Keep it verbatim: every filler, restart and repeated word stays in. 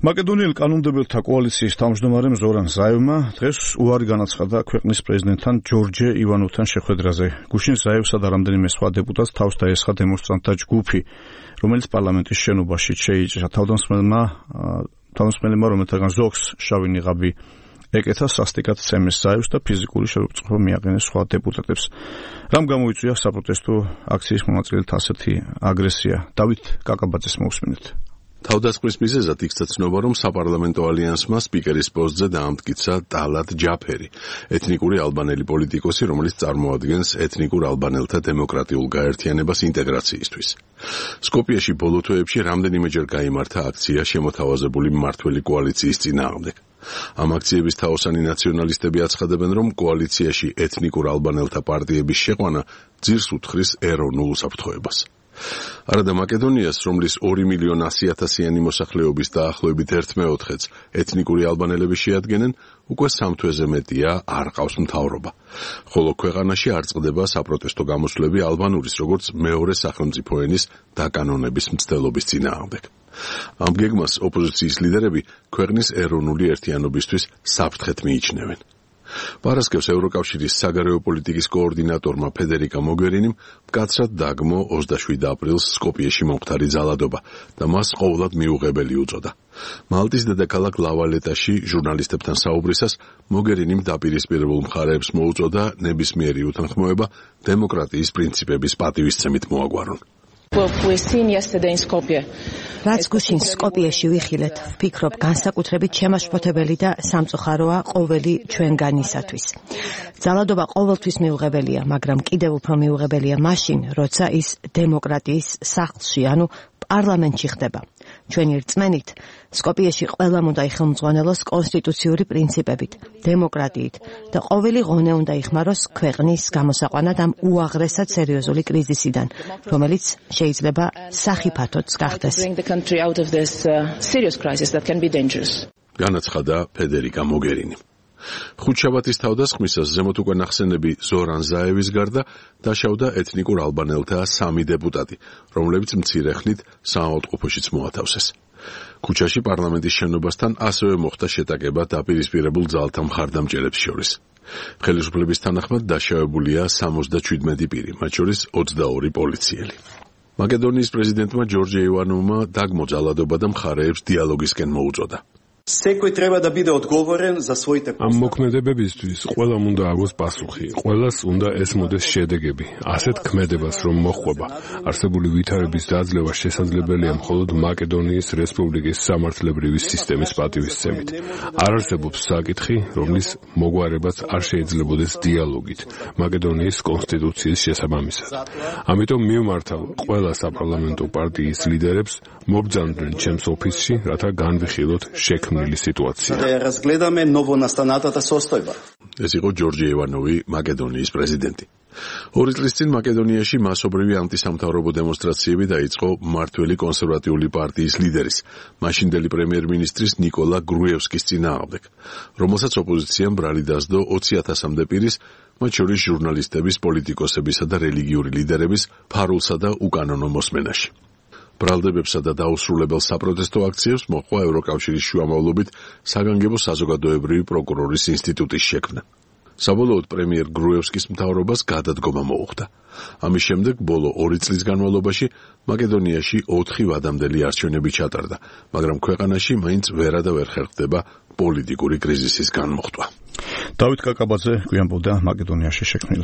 მაკედონიელ კანონმდებელთა კოალიციის თავმჯდომარემ ზორან ზაევმა დღეს უარი განაცხადა ქვეყნის პრეზიდენტთან ჯორჯე ივანოვთან შეხვედრაზე. გუშინ ზაევსა და რამდენიმე სხვა დეპუტატს თავს დაესხა დემონსტრანტთა ჯგუფი, რომელიც პარლამენტის შენობაში შეიჭრა. თავდამსხმელმა თავდამსხმელებმა, რომელთაგან ზოგს შავი ნიღაბი ეკეთა, სასტიკად სცემეს ზაევს და ფიზიკური შეურაცხყოფა მიაყენეს სხვა დეპუტატებს. რამ გამოიწვია საპროტესტო აქციის მონაწილეთა ასეთი აგრესია? დავით კაკაბაძეს მოусმინეთ. თავდასხმის მიზეზად იქცა ცნობა, რომ საპარლამენტო ალიანსმა სპიკერის პოსტზე დაამტკიცა ტალატ ჯაფერი, ეთნიკური ალბანელი პოლიტიკოსი, რომელიც წარმოადგენს ეთნიკურ ალბანელთა დემოკრატიულ გაერთიანებას ინტეგრაციისთვის. სკოპიეში ბოლო თვეებში რამდენიმეჯერ გაიმართა აქცია შემოთავაზებული მმართველი კოალიციის წინააღმდეგ. ამ აქციების თაოსანი ნაციონალისტები აცხადებენ, რომ კოალიციაში ეთნიკურ ალბანელთა პარტიების შეყვანა ძირს უთხრის ეროვნულ უსაფრთხოებას. არადა მაკედონიას, რომლის ორი მილიონი ასი ათასიანი მოსახლეობის დაახლოებით ერთ მეოთხედს ეთნიკური ალბანელები შეადგენენ, უკვე სამ თვეზე მეტია არ ყავს მთავრობა. ხოლო ქვეყანაში არ წყდება საპროტესტო გამოსვლები ალბანურის, როგორც მეორე სახელმწიფო ენის დაკანონების მცდელობის წინააღმდეგ. ამ გეგმას ოპოზიციის ლიდერები ქვეყნის ეროვნული ერთიანობისთვის საფრთხეთ მიიჩნევენ. პარასკევს ევროკავშირის საგარეო პოლიტიკის კოორდინატორმა ფედერიკა მოგერინიმ მკაცრად დაგმო ოცდაშვიდ აპრილს სკოპიეში მომხდარი ძალადობა და მას ყოვლად მიუღებელი უწოდა. მალტის დედაქალაქ ლავალეტაში ჟურნალისტებთან საუბრისას მოგერინიმ დაპირისპირებულ მხარეებს მოუწოდა ნებისმიერი უთანხმოება დემოკრატიის პრინციპების პატივისცემით მოაგვარონ. რაც გუშინ სკოპიეში ვიხილეთ, ვფიქრობ, განსაკუთრებით შემაშფოთებელი და სამწუხაროა ყოველი ჩვენგანისათვის. ძალადობა ყოველთვის მიუღებელია, მაგრამ კიდევ უფრო მიუღებელია მაშინ, როცა ის დემოკრატიის სახლში, ანუ პარლამენტში ხდება. ჩვენი რწმენით, სკოპიეში ყველამ უნდა იხელმძღვანელოს კონსტიტუციური პრინციპებით, დემოკრატიით და ყოველი ღონე უნდა იხმაროს ქვეყნის გამოსაყვანად ამ უაღრესად სერიოზული კრიზისიდან, რომელიც შეიძლება სახიფათოც გახდეს. განაცხადა ფედერიკა მოგერინი. ხუთშაბათის თავდასხმისას ზემოთ უკვე ნახსენები ზორან ზაევის გარდა დაშავდა ეთნიკურ ალბანელთა სამი დეპუტატი, რომლებიც მცირე ხნით საავადმყოფოშიც მოათავსეს. ქუჩაში პარლამენტის შენობასთან ასევე მოხდა შეტაკება დაპირისპირებულ ძალთა მხარდამჭერებს შორის. ხელისუფლების თანახმად დაშავებულია სამოცდაშვიდი პირი, მათ შორის ოცდაორი პოლიციელი. მაკედონიის პრეზიდენტმა ჯორჯე ივანოვმა დაგმო ძალადობა და მხარეებს დიალოგისკენ მოუწოდა. ამ მოქმედებებისთვის ყველამ უნდა აგოს პასუხი, ყველას უნდა ესმოდეს შედეგები. ასეთ ქმედებას რომ მოჰყვება, არსებული ვითარების დაძლევა შესაძლებელია მხოლოდ მაკედონიის რესპუბლიკის სამართლებრივი სისტემის პატივისცემით. არ არსებობს საკითხი, რომლის მოგვარებაც არ შეიძლებოდეს დიალოგით მაკედონიის კონსტიტუციის შესაბამისად. ამიტომ მივმართავ ყველა საპარლამენტო პარტიის ლიდერებს მობრძანდნენ ჩემს ოფისში, რათა განვიხილოთ შექმნილი სიტუაცია. ეს იყო ჯორჯე ივანოვი, მაკედონიის პრეზიდენტი. ორი წლის წინ მაკედონიაში მასობრივი ანტისამთავრობო დემონსტრაციები დაიწყო მმართველი კონსერვატიული პარტიის ლიდერის, მაშინდელი პრემიერ-მინისტრის ნიკოლა გრუევსკის წინააღმდეგ, რომელსაც ოპოზიციამ ბრალი დასდო ოცი ათასამდე პირის, მათ შორის ჟურნალისტების, პოლიტიკოსებისა და რელიგიური ლიდერების ფარულსა და უკანონო მოსმენაში. ბრალდებებსა და დაუსრულებელ საპროტესტო აქციებს მოჰყვა ევროკავშირის შუამავლობით საგანგებო საზოგადოებრივი პროკურორის ინსტიტუტის შექმნა. საბოლოოდ პრემიერ გრუევსკის მთავრობას გადადგომა მოუხდა. ამის შემდეგ ბოლო ორი წლის განმავლობაში მაკედონიაში ოთხი ვადამდელი არჩევნები ჩატარდა, მაგრამ ქვეყანაში მაინც ვერა და ვერ ხერხდება პოლიტიკური კრიზისის განმოხტვა. დავით კაკაბაძე გვიანბოდა მაკედონიაში შექმნილ